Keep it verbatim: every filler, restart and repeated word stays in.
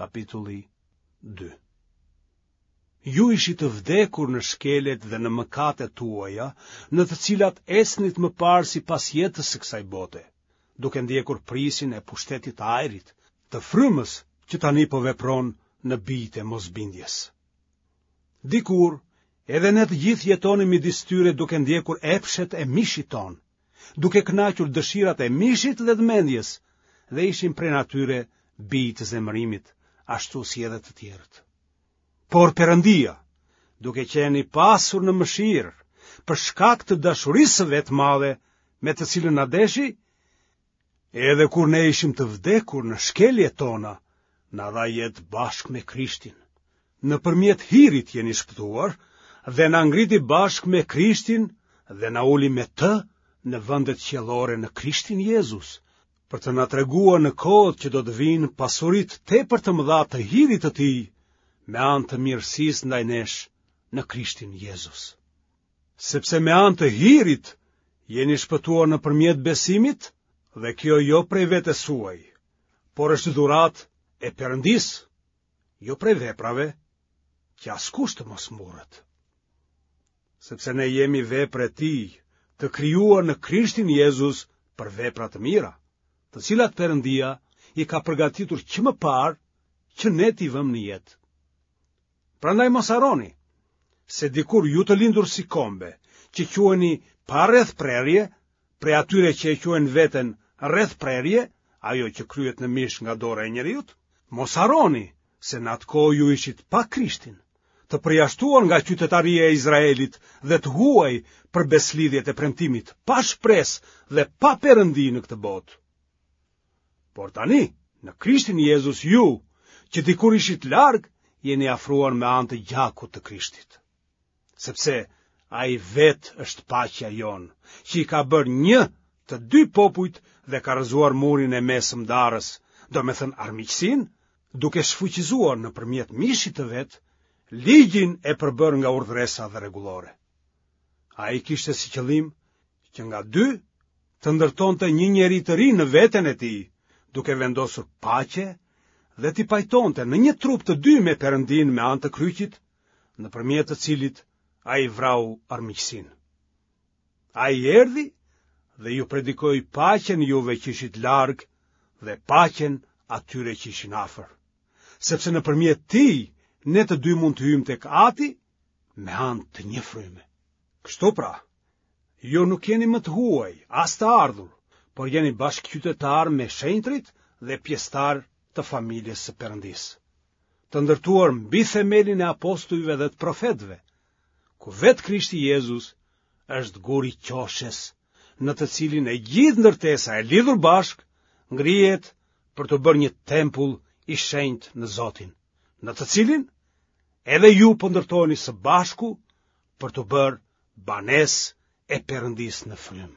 kapitulli dy. Ju ishit të vdekur në shkeljet dhe në mëkatet tuaja, në të cilat ecnit më parë sipas jetës së kësaj bote, duke ndjekur prijësin e pushtetit të ajrit, të frymës që tani po vepron në bijtë e mosbindjes. Dikur, edhe ne të gjithë jetonim midis tyre duke ndjekur epshet e mishit tonë, duke kënaqur dëshirat e mishit dhe të mendjes, dhe ishim prej natyre bij të zemërimit, ashtu si edhe të tjerët. Por Perëndia, duke qenë i pasur në mëshirë, për shkak të dashurisë së vet të madhe, me të cilën na deshi, edhe kur ne ishim të vdekur në shkeljet tona, na dha jetë bashkë me Krishtin. Nëpërmjet hirit jeni shpëtuar dhe na ngriti bashkë me Krishtin dhe na uli me të në vendet qiellore në Krishtin Jezus, për të na treguar në kohët që do të vijnë pasuritë tepër të mëdha të hirit të tij, me anë të mirësisë ndaj nesh në Krishtin Jezus. Sepse me anë të hirit jeni shpëtuar nëpërmjet besimit, dhe kjo jo prej vetes suaj, por është dhuratë e Perëndisë, jo prej veprave, që askush të mos mburret. Sepse ne jemi vepër e tij, të krijuar në Krishtin Jezus për vepra të mira, të cilat Perëndia i ka përgatitur që më parë që ne t'i vëmë në jetë. Prandaj mos harroni se dikur ju të lindur si kombe, që quheni pa rrethprerje, prej atyre që e quajnë veten rrethprerje, ajo që kryhet në mish nga dora e njeriut, mos harroni se në atë kohë ju ishit pa Krishtin, të përjashtuar nga qytetaria e Izraelit dhe të huaj për besëlidhjet e premtimit, pa shpresë dhe pa Perëndi në këtë botë. Por tani, në Krishtin Jezus ju, që dikur ishit larg, jeni afruar me anë të gjakut të Krishtit. Sepse ai vetë është paqja jonë, që i ka bërë një të dy popujt dhe ka rrëzuar murin e mesëm ndarës, domethënë armiqësinë, duke shfuqizuar nëpërmjet mishit të vet ligjin e përbërë nga urdhëresa dhe rregullore. Ai kishte si qëllim që nga dy të ndërtonte një njeri të ri në veten e tij, duke vendosur paqe dhe t'i pajtonte në një trup të dy me Perëndinë me anë të kryqit, nëpërmjet të cilit ai vrau armiqësinë. Ai erdhi dhe ju predikoi paqen juve që ishit larg dhe paqen atyre që ishin afër. Sepse nëpërmjet tij ne të dy mund të hyjmë tek Ati me anë të një fryme. Kështu pra, ju nuk jeni më të huaj, as të ardhur, por jeni bashkëqytetarë me shenjtërit dhe pjesëtarë të familjes së Perëndisë, të ndërtuar mbi themelin e apostujve dhe të profetëve, ku vetë Krishti Jezus është guri i qoshes, në të cilin e gjithë ndërtesa e lidhur bashkë ngrihet për t'u bërë një tempull i shenjtë në Zotin, në të cilin edhe ju po ndërtoheni së bashku për t'u bërë banesë e Perëndisë në frymë.